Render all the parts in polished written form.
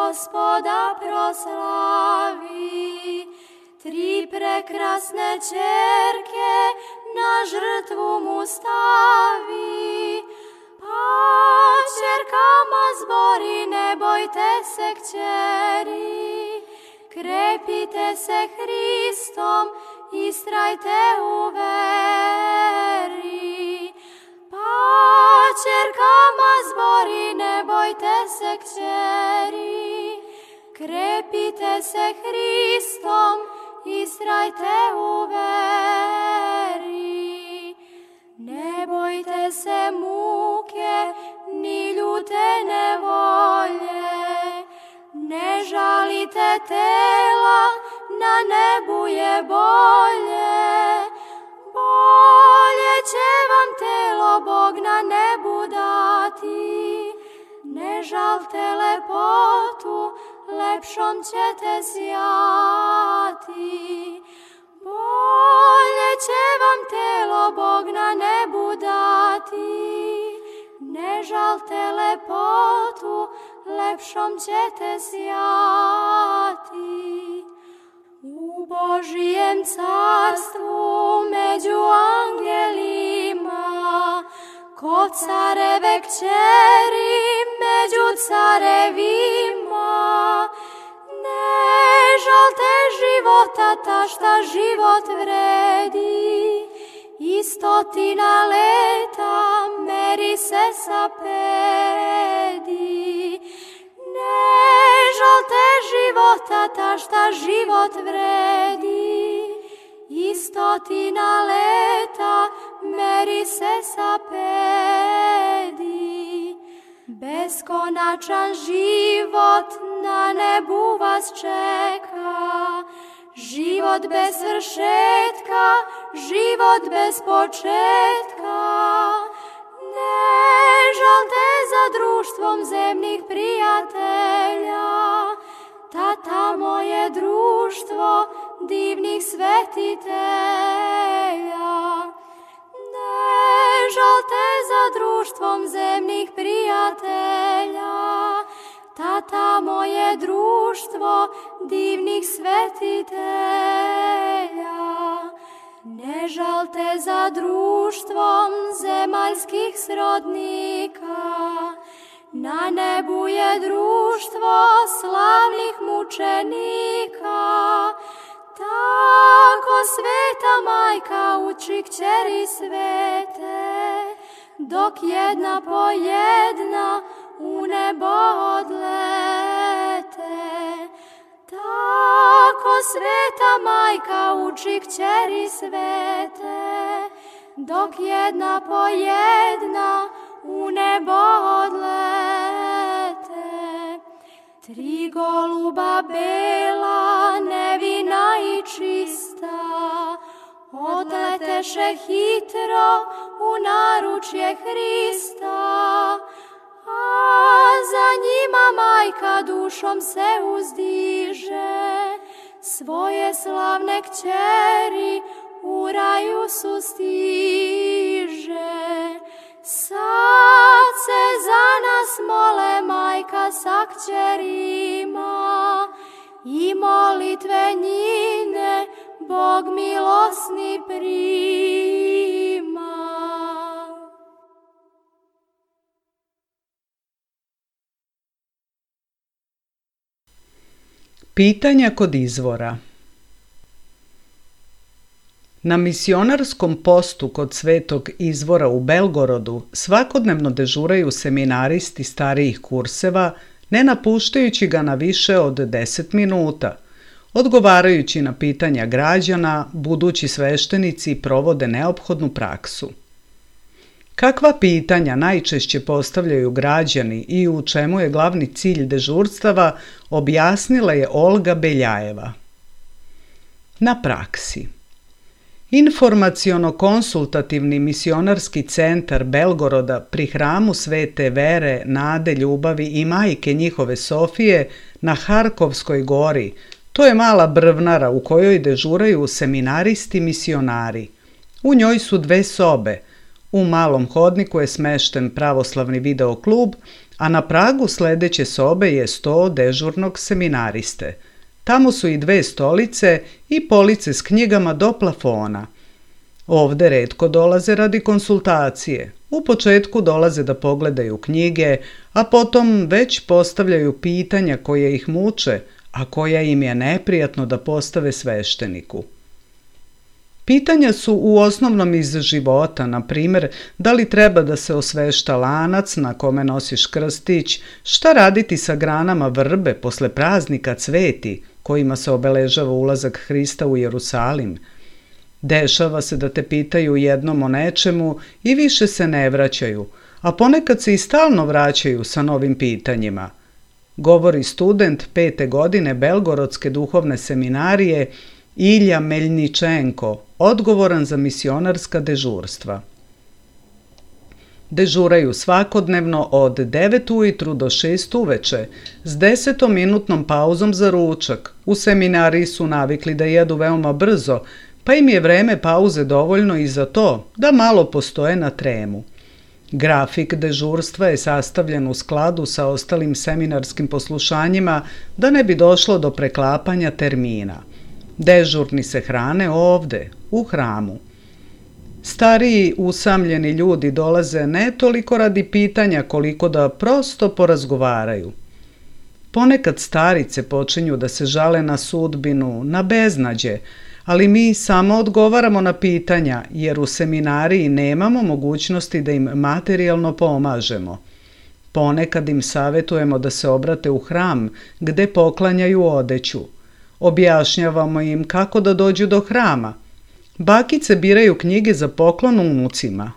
Gospoda proslavi. 3 prekrasne ćerke na žrtvu mu stavi. Pa ćerkama zbori, ne bojte se kćeri, krepite se Hristom, istrajte u veri. Pa ćerkama zbori, ne bojte se kćeri, krepite se Hristom, istrajte u veri. Ne bojte se muke, ni ljute nevolje, ne žalite tela, na nebu je bolje. Bolje će vam telo Bog na nebu dati, ne žalte lepotu, lepšom ćete sjati. Bolje će vam telo Bog na nebu dati, ne žalte lepotu, lepšom ćete sjati. U Božijem carstvu među angelima, ko careve kćeri među carevima, ne žalte života ta šta život vredi, i 100 leta meri se sa pedi. Ne žalte života ta šta život vredi, i 100 leta meri se sa pedi. Beskonačan život na nebu vas čeka, život bez svršetka, život bez početka. Ne žalte za društvom zemnih prijatelja, ta tamo je društvo divnih svetitelja. Ne žalte za društvom zemnih prijatelja, ta tamo je društvo divnih svetitelja. Ne žalte za društvom zemaljskih srodnika, na nebu je društvo slavnih mučenika. Tako sveta majka uči kćeri svete, dok jedna po jedna u nebo odlete. Tako sveta majka uči kćeri svete, dok jedna po jedna u nebo odlete. 3 goluba bela, nevina i čista, odleteše hitro u naručje Hrista. A za njima majka dušom se uzdiže, svoje slavne kćeri u raju sustiže. Sad se za nas mole majka sa kćerima, i molitve njine Bog milosni prima. Pitanja kod izvora. Na misionarskom postu kod Svetog Izvora u Belgorodu svakodnevno dežuraju seminaristi starijih kurseva, ne napuštajući ga na više od 10 minuta. Odgovarajući na pitanja građana, budući sveštenici provode neophodnu praksu. Kakva pitanja najčešće postavljaju građani i u čemu je glavni cilj dežurstava, objasnila je Olga Beljajeva. Na praksi. Informaciono-konsultativni misionarski centar Belgoroda pri hramu Svete Vere, Nade, Ljubavi i majke njihove Sofije na Harkovskoj gori, to je mala brvnara u kojoj dežuraju seminaristi misionari. U njoj su 2 sobe. U malom hodniku je smešten pravoslavni video klub, a na pragu sledeće sobe je sto dežurnog seminariste. Tamo su i 2 stolice i police s knjigama do plafona. Ovde retko dolaze radi konsultacije. U početku dolaze da pogledaju knjige, a potom već postavljaju pitanja koje ih muče, a koja im je neprijatno da postave svešteniku. Pitanja su u osnovnom iz života, na primjer, da li treba da se osvešta lanac na kome nosiš krstić, šta raditi sa granama vrbe posle praznika Cveti, kojima se obeležava ulazak Hrista u Jerusalim. Dešava se da te pitaju jednom o nečemu i više se ne vraćaju, a ponekad se i stalno vraćaju sa novim pitanjima. Govori student 5. godine Belgorodske duhovne seminarije Ilja Meljničenko, odgovoran za misionarska dežurstva. Dežuraju svakodnevno od 9 ujutru do 6 uveče, s 10-minutnom pauzom za ručak. U seminariji su navikli da jedu veoma brzo, pa im je vreme pauze dovoljno i za to da malo postoje na tremu. Grafik dežurstva je sastavljen u skladu sa ostalim seminarskim poslušanjima da ne bi došlo do preklapanja termina. Dežurni se hrane ovde, u hramu. Stariji, usamljeni ljudi dolaze ne toliko radi pitanja koliko da prosto porazgovaraju. Ponekad starice počinju da se žale na sudbinu, na beznađe, ali mi samo odgovaramo na pitanja jer u seminariji nemamo mogućnosti da im materijalno pomažemo. Ponekad im savjetujemo da se obrate u hram gde poklanjaju odeću. Objašnjavamo im kako da dođu do hrama. Bakice biraju knjige za poklon unucima.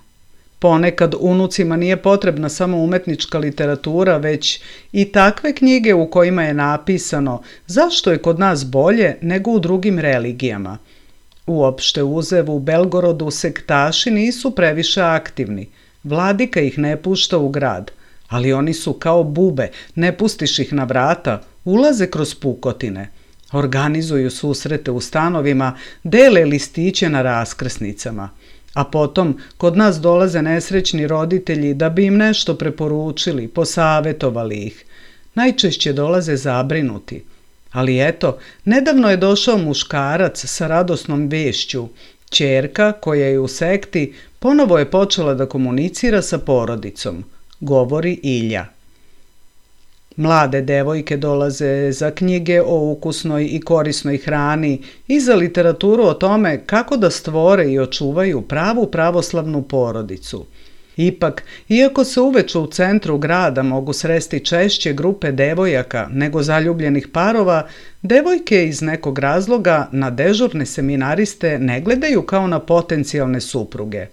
Ponekad unucima nije potrebna samo umetnička literatura, već i takve knjige u kojima je napisano zašto je kod nas bolje nego u drugim religijama. Uopšte uzev u Belgorodu sektaši nisu previše aktivni. Vladika ih ne pušta u grad, ali oni su kao bube, ne pustiš ih na vrata, ulaze kroz pukotine. Organizuju susrete u stanovima, dele listiće na raskrsnicama. A potom kod nas dolaze nesrećni roditelji da bi im nešto preporučili, posavetovali ih. Najčešće dolaze zabrinuti. Ali eto, nedavno je došao muškarac sa radosnom vešću. Ćerka, koja je u sekti, ponovo je počela da komunicira sa porodicom, govori Ilja. Mlade devojke dolaze za knjige o ukusnoj i korisnoj hrani i za literaturu o tome kako da stvore i očuvaju pravu pravoslavnu porodicu. Ipak, iako se uveče u centru grada mogu sresti češće grupe devojaka nego zaljubljenih parova, devojke iz nekog razloga na dežurne seminariste ne gledaju kao na potencijalne supruge.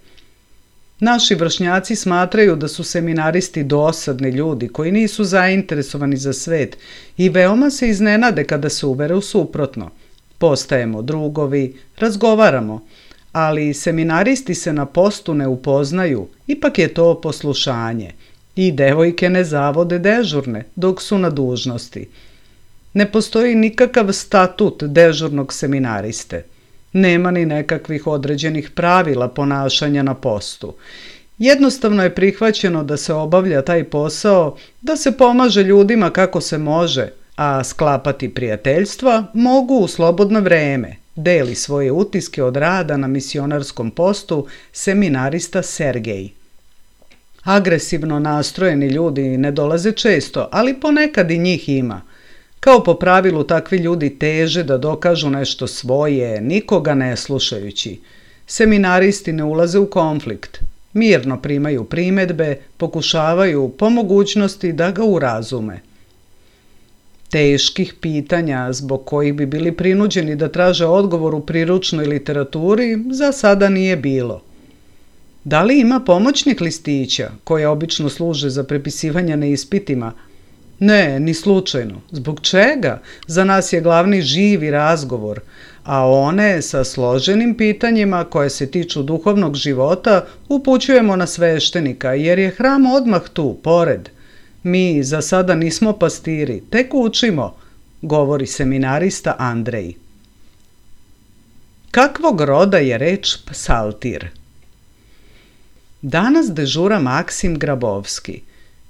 Naši vršnjaci smatraju da su seminaristi dosadni ljudi koji nisu zainteresovani za svet i veoma se iznenade kada se uvere u suprotno. Postajemo drugovi, razgovaramo, ali seminaristi se na postu ne upoznaju, ipak je to poslušanje. I devojke ne zavode dežurne dok su na dužnosti. Ne postoji nikakav statut dežurnog seminariste. Nema ni nekakvih određenih pravila ponašanja na postu. Jednostavno je prihvaćeno da se obavlja taj posao, da se pomaže ljudima kako se može, a sklapati prijateljstva mogu u slobodno vreme, deli svoje utiske od rada na misionarskom postu seminarista Sergej. Agresivno nastrojeni ljudi ne dolaze često, ali ponekad i njih ima. Kao po pravilu takvi ljudi teže da dokažu nešto svoje, nikoga ne slušajući. Seminaristi ne ulaze u konflikt. Mirno primaju primedbe, pokušavaju po mogućnosti da ga urazume. Teških pitanja zbog kojih bi bili prinuđeni da traže odgovor u priručnoj literaturi za sada nije bilo. Da li ima pomoćnik listića, koje obično služe za prepisivanje na ispitima? Ne, ni slučajno. Zbog čega? Za nas je glavni živi razgovor, a one sa složenim pitanjima koje se tiču duhovnog života upućujemo na sveštenika jer je hram odmah tu, pored. Mi za sada nismo pastiri, tek učimo, govori seminarista Andrej. Kakvog roda je reč psaltir? Danas dežura Maksim Grabovski.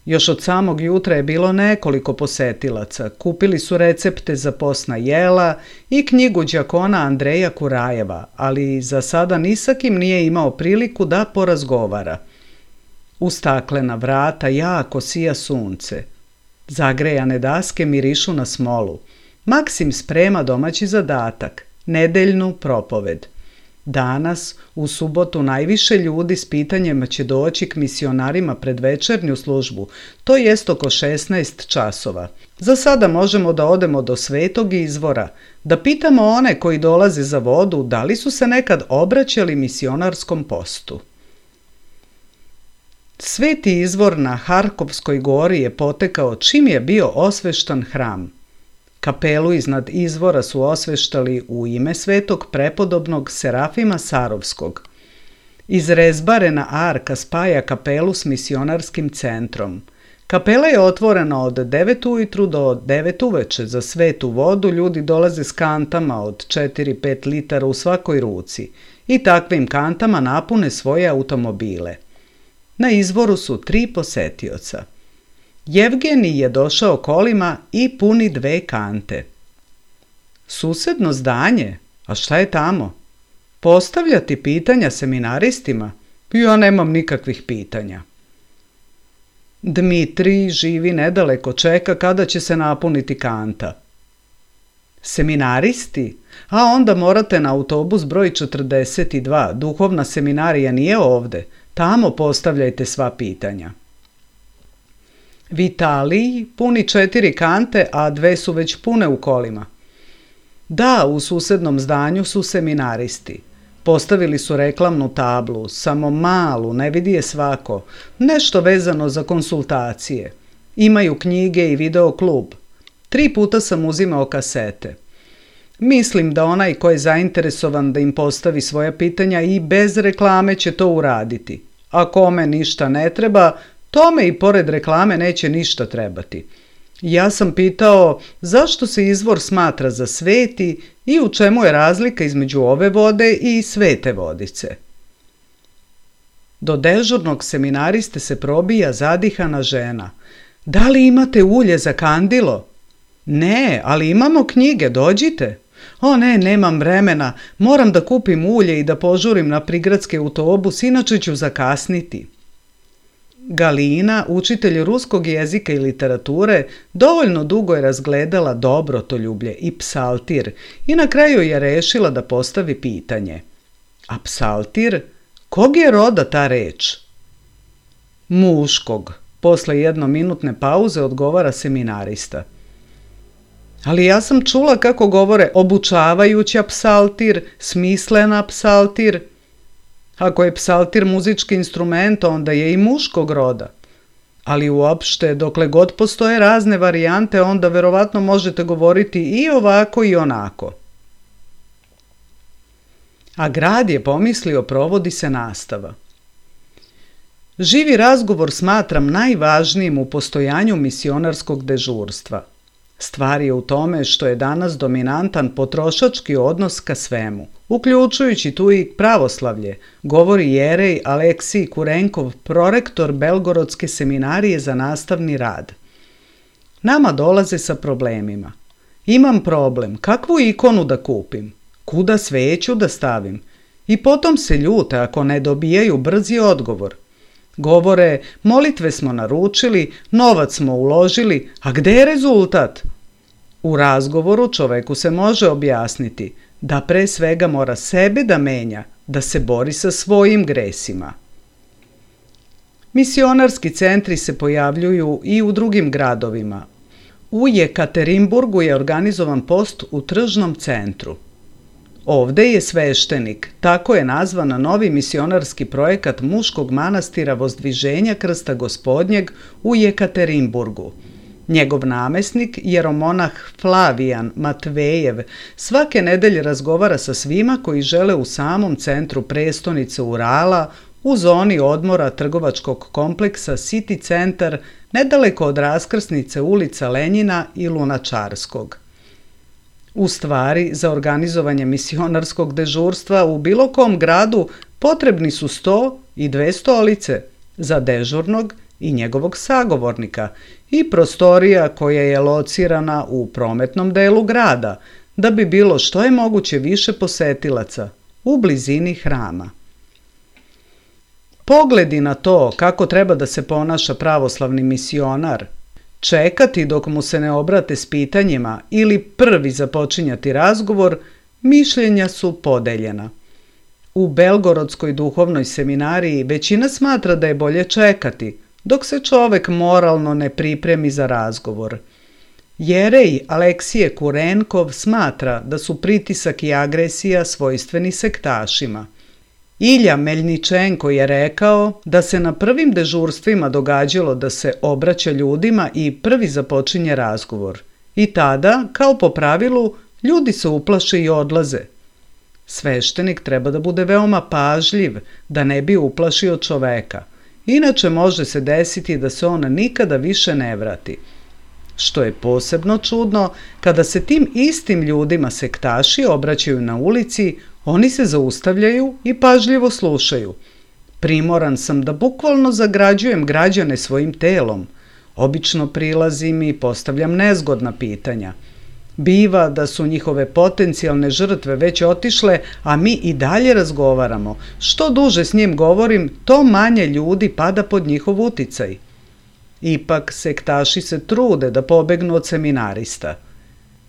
Još od samog jutra je bilo nekoliko posetilaca. Kupili su recepte za postna jela i knjigu đakona Andreja Kurajeva, ali za sada ni sa kim nije imao priliku da porazgovara. U staklena vrata jako sija sunce. Zagrejane daske mirišu na smolu. Maksim sprema domaći zadatak, nedeljnu propoved. Danas, u subotu, najviše ljudi s pitanjima će doći k misionarima pred večernju službu, to jest oko 16 časova. Za sada možemo da odemo do Svetog izvora, da pitamo one koji dolaze za vodu da li su se nekad obraćali misionarskom postu. Sveti izvor na Harkovskoj gori je potekao čim je bio osveštan hram. Kapelu iznad izvora su osveštali u ime svetog prepodobnog Serafima Sarovskog. Izrezbarena arka spaja kapelu s misionarskim centrom. Kapela je otvorena od 9 ujutru do 9 uveče. Za svetu vodu ljudi dolaze s kantama od 4-5 litara u svakoj ruci i takvim kantama napune svoje automobile. Na izvoru su 3 posetioca. Jevgenij je došao kolima i puni 2 kante. Susedno zdanje? A šta je tamo? Postavljati pitanja seminaristima? Ja nemam nikakvih pitanja. Dmitrij živi nedaleko, čeka kada će se napuniti kanta. Seminaristi? A onda morate na autobus broj 42, duhovna seminarija nije ovde. Tamo postavljajte sva pitanja. Vitalij puni 4 kante, a 2 su već pune u kolima. Da, u susednom zdanju su seminaristi. Postavili su reklamnu tablu, samo malu, ne vidi je svako, nešto vezano za konsultacije. Imaju knjige i video klub. 3 puta sam uzimao kasete. Mislim da onaj ko je zainteresovan da im postavi svoja pitanja i bez reklame će to uraditi. A kome ništa ne treba, tome i pored reklame neće ništa trebati. Ja sam pitao zašto se izvor smatra za sveti i u čemu je razlika između ove vode i svete vodice. Do dežurnog seminariste se probija zadihana žena. Da li imate ulje za kandilo? Ne, ali imamo knjige, dođite. O ne, nemam vremena, moram da kupim ulje i da požurim na prigradski autobus, inače ću zakasniti. Galina, učitelj ruskog jezika i literature, dovoljno dugo je razgledala dobrotoljublje i psaltir i na kraju je rešila da postavi pitanje. A psaltir? Kog je roda ta reč? Muškog. Posle jednominutne pauze odgovara seminarista. Ali ja sam čula kako govore obučavajuća psaltir, smislena psaltir. Ako je psaltir muzički instrument, onda je i muškog roda. Ali uopšte, dokle god postoje razne varijante, onda verovatno možete govoriti i ovako i onako. A grad je pomislio, provodi se nastava. Živi razgovor smatram najvažnijim u postojanju misionarskog dežurstva. Stvar je u tome što je danas dominantan potrošački odnos ka svemu, uključujući tu i pravoslavlje, govori jerej Aleksij Kurenkov, prorektor Belgorodske seminarije za nastavni rad. Nama dolaze sa problemima. Imam problem, kakvu ikonu da kupim, kuda sveću da stavim, i potom se ljute ako ne dobijaju brzi odgovor. Govore, molitve smo naručili, novac smo uložili, a gde je rezultat? U razgovoru čoveku se može objasniti da pre svega mora sebe da menja, da se bori sa svojim gresima. Misionarski centri se pojavljuju i u drugim gradovima. U Jekaterinburgu je organizovan post u tržnom centru. Ovde je sveštenik, tako je nazvan novi misionarski projekat muškog manastira Vozdviženja Krsta Gospodnjeg u Jekaterinburgu. Njegov namesnik, jeromonah Flavijan Matvejev, svake nedelje razgovara sa svima koji žele u samom centru prestonice Urala, u zoni odmora trgovačkog kompleksa City Centar, nedaleko od raskrsnice ulica Lenjina i Lunačarskog. U stvari, za organizovanje misionarskog dežurstva u bilo kom gradu potrebni su 100 i 2 stolice za dežurnog i njegovog sagovornika i prostorija koja je locirana u prometnom delu grada, da bi bilo što je moguće više posetilaca u blizini hrama. Pogledi na to kako treba da se ponaša pravoslavni misionar, čekati dok mu se ne obrate s pitanjima ili prvi započinjati razgovor, mišljenja su podeljena. U Belgorodskoj duhovnoj seminariji većina smatra da je bolje čekati, dok se čovek moralno ne pripremi za razgovor. Jerej Aleksije Kurenkov smatra da su pritisak i agresija svojstveni sektašima. Ilja Meljničenko je rekao da se na prvim dežurstvima događalo da se obraća ljudima i prvi započinje razgovor. I tada, kao po pravilu, ljudi se uplaše i odlaze. Sveštenik treba da bude veoma pažljiv, da ne bi uplašio čoveka. Inače može se desiti da se on nikada više ne vrati. Što je posebno čudno, kada se tim istim ljudima sektaši obraćaju na ulici, oni se zaustavljaju i pažljivo slušaju. Primoran sam da bukvalno zagrađujem građane svojim telom. Obično prilazim i postavljam nezgodna pitanja. Biva da su njihove potencijalne žrtve već otišle, a mi i dalje razgovaramo. Što duže s njim govorim, to manje ljudi pada pod njihov uticaj. Ipak sektaši se trude da pobegnu od seminarista.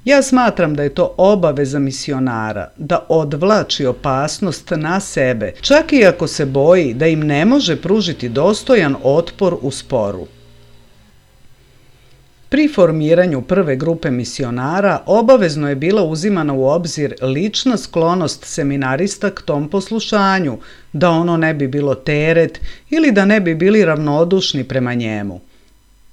Ja smatram da je to obaveza misionara, da odvlači opasnost na sebe, čak i ako se boji da im ne može pružiti dostojan otpor u sporu. Pri formiranju prve grupe misionara obavezno je bila uzimana u obzir lična sklonost seminarista k tom poslušanju, da ono ne bi bilo teret ili da ne bi bili ravnodušni prema njemu.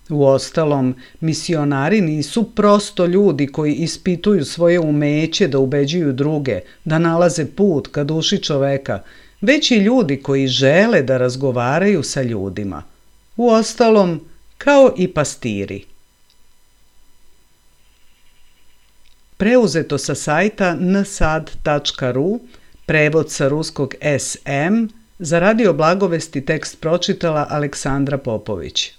Uostalom, misionari nisu prosto ljudi koji ispituju svoje umeće da ubeđuju druge, da nalaze put ka duši čoveka, već i ljudi koji žele da razgovaraju sa ljudima. Uostalom, kao i pastiri. Preuzeto sa sajta nsad.ru, prevod sa ruskog SM, za Radio Blagovesti tekst pročitala Aleksandra Popović.